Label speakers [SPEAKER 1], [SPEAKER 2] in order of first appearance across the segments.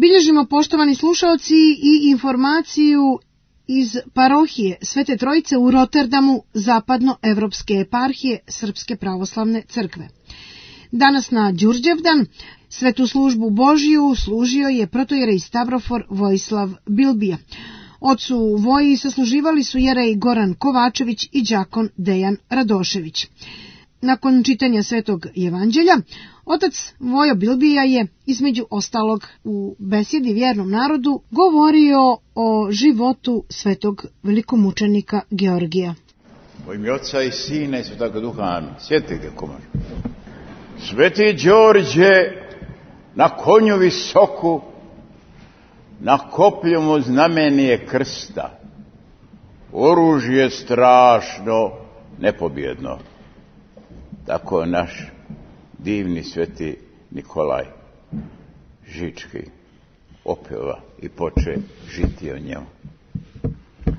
[SPEAKER 1] bilježimo, poštovani slušaoci, i informaciju iz parohije Svete Trojice u Rotterdamu, zapadnoevropske eparhije Srpske pravoslavne crkve. Danas na Đurđevdan svetu službu Božiju služio je protojerej Stavrofor Vojislav Bilbija. Ocu Voji sasluživali su jerej Goran Kovačević i đakon Dejan Radošević. Nakon čitanja Svetog Evanđelja, otac Vojo Bilbija je, između ostalog, u besjedi vjernom narodu govorio o životu svetog velikomučenika Georgija.
[SPEAKER 2] U ime Oca i Sina i Svetoga Duha, amin. Sjetite komor. Sveti Đorđe na konju visoku, na koplju mu znamenje krsta, oružje strašno, nepobjedno. Tako je naš divni sveti Nikolaj Žički opeva i poče žiti o njemu.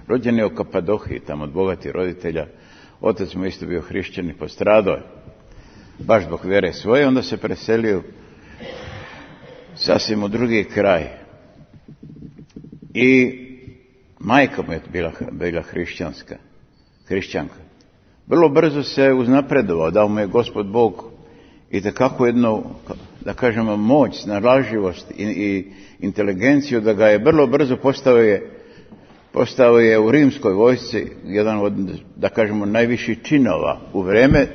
[SPEAKER 2] Rođen je u Kapadohiji, tamo od bogatih roditelja. Otac mu isto bio hrišćan i postradao je baš zbog vjere svoje, onda se preselio sasvim u drugi kraj. I majka mu je bila hrišćanka. Vrlo brzo se uznapredovao, dao mu je Gospod Bog i tekako jednu, da kažemo, moć, snalažljivost i inteligenciju, da ga je vrlo brzo postao je u rimskoj vojsci jedan od, da kažemo, najviših činova u vrijeme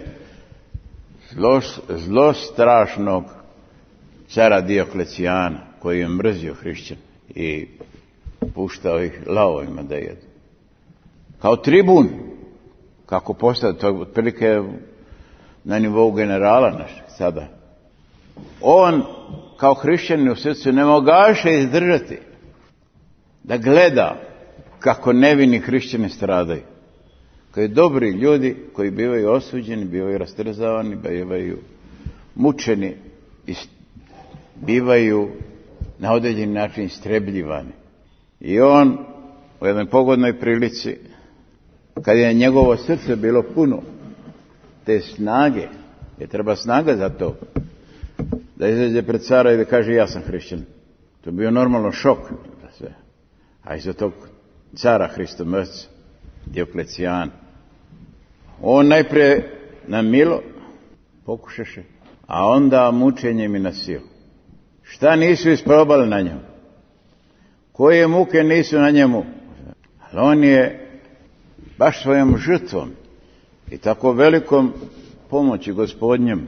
[SPEAKER 2] zlostrašnog cara Dioklecijana, koji je mrzio hrišćan i puštao ih lavovima da jedu. Kao tribun, kako postao, to je otprilike na nivou generala našeg sada. On, kao hrišćanin u srcu, ne mogaše izdržati da gleda kako nevini hrišćani stradaju. Kao dobri ljudi koji bivaju osuđeni, bivaju rastrzavani, bivaju mučeni i bivaju na određeni način istrebljivani. I on u jednoj pogodnoj prilici, kad je njegovo srce bilo puno te snage, jer treba snaga za to, da izađe pred cara i da kaže ja sam hrišćan. To je bio normalno šok za sve. A iza tog cara Hristomrca, Dioklecijana, on najprije na milo pokušaše, a onda mučenjem i na silu. Šta nisu isprobali na njemu? Koje muke nisu na njemu? Ali on je baš svojom žrtvom i tako velikom pomoći Gospodnjem,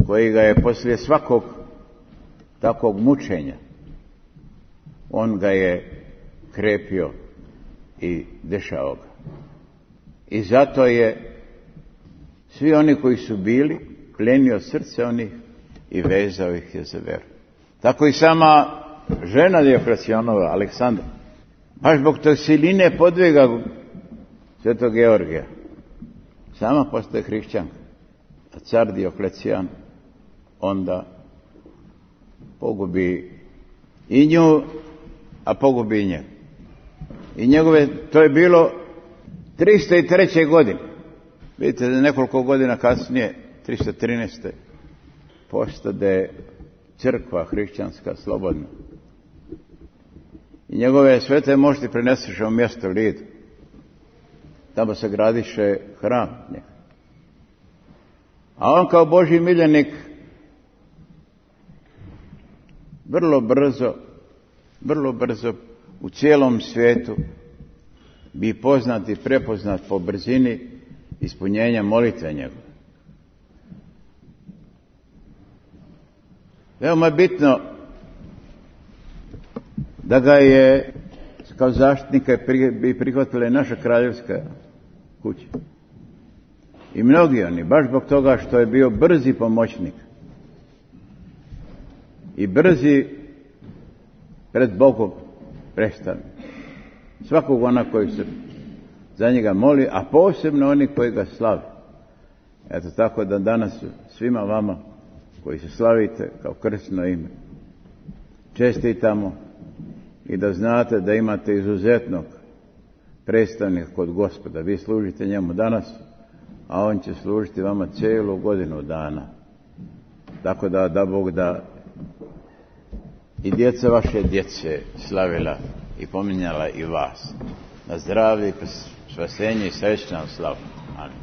[SPEAKER 2] koji ga je poslije svakog takvog mučenja, on ga je krepio i dešao ga. I zato je svi oni koji su bili plenio srce onih i vezao ih je za veru. Tako i sama žena Dioklecijanova, Aleksandra, baš zbog tog siline podviga svetog Georgija, sama postaje hrišćanka. A car Dioklecijan onda pogubi i nju, a pogubi i njega. I njegove, to je bilo 303. godine. Vidite da nekoliko godina kasnije, 313. postade crkva hrišćanska slobodna. I njegove svete mošti preneseše u mjesto Lid. Tamo se gradiše hram. A on kao Božji miljenik vrlo brzo u cijelom svijetu bi poznat i prepoznat po brzini ispunjenja molitve njegove. Veoma je bitno da ga je kao zaštitnika bi prihvatila i naša kraljevska kuća. I mnogi oni, baš zbog toga što je bio brzi pomoćnik i brzi pred Bogom predstavnik. Svakog ona koji se za njega moli, a posebno oni koji ga slave. Eto tako da danas svima vama koji se slavite kao krstno ime čestitamo i da znate da imate izuzetnog predstavnika kod Gospoda. Vi služite njemu danas, a on će služiti vama cijelu godinu dana. Tako da Bog da i djeca vaše djece slavila i pominjala i vas. Na zdravlje, spasenje i srećnu slavu. Amin.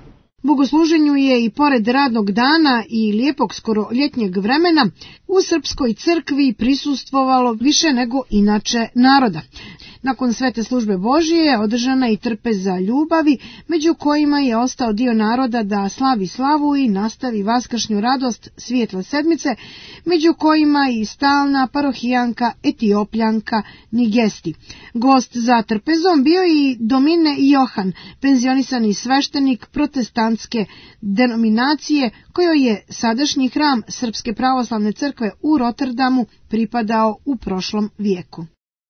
[SPEAKER 1] Bogosluženju je i pored radnog dana i lijepog skoro ljetnjeg vremena u Srpskoj crkvi prisustvovalo više nego inače naroda. Nakon svete službe Božije je održana i trpeza ljubavi, među kojima je ostao dio naroda da slavi slavu i nastavi vaskršnju radost svijetla sedmice, među kojima i stalna parohijanka Etiopljanka Nigesti. Gost za trpezom bio i Domine Johan, penzionisani sveštenik protestantske denominacije, kojoj je sadašnji hram Srpske pravoslavne crkve u Rotterdamu pripadao u prošlom vijeku.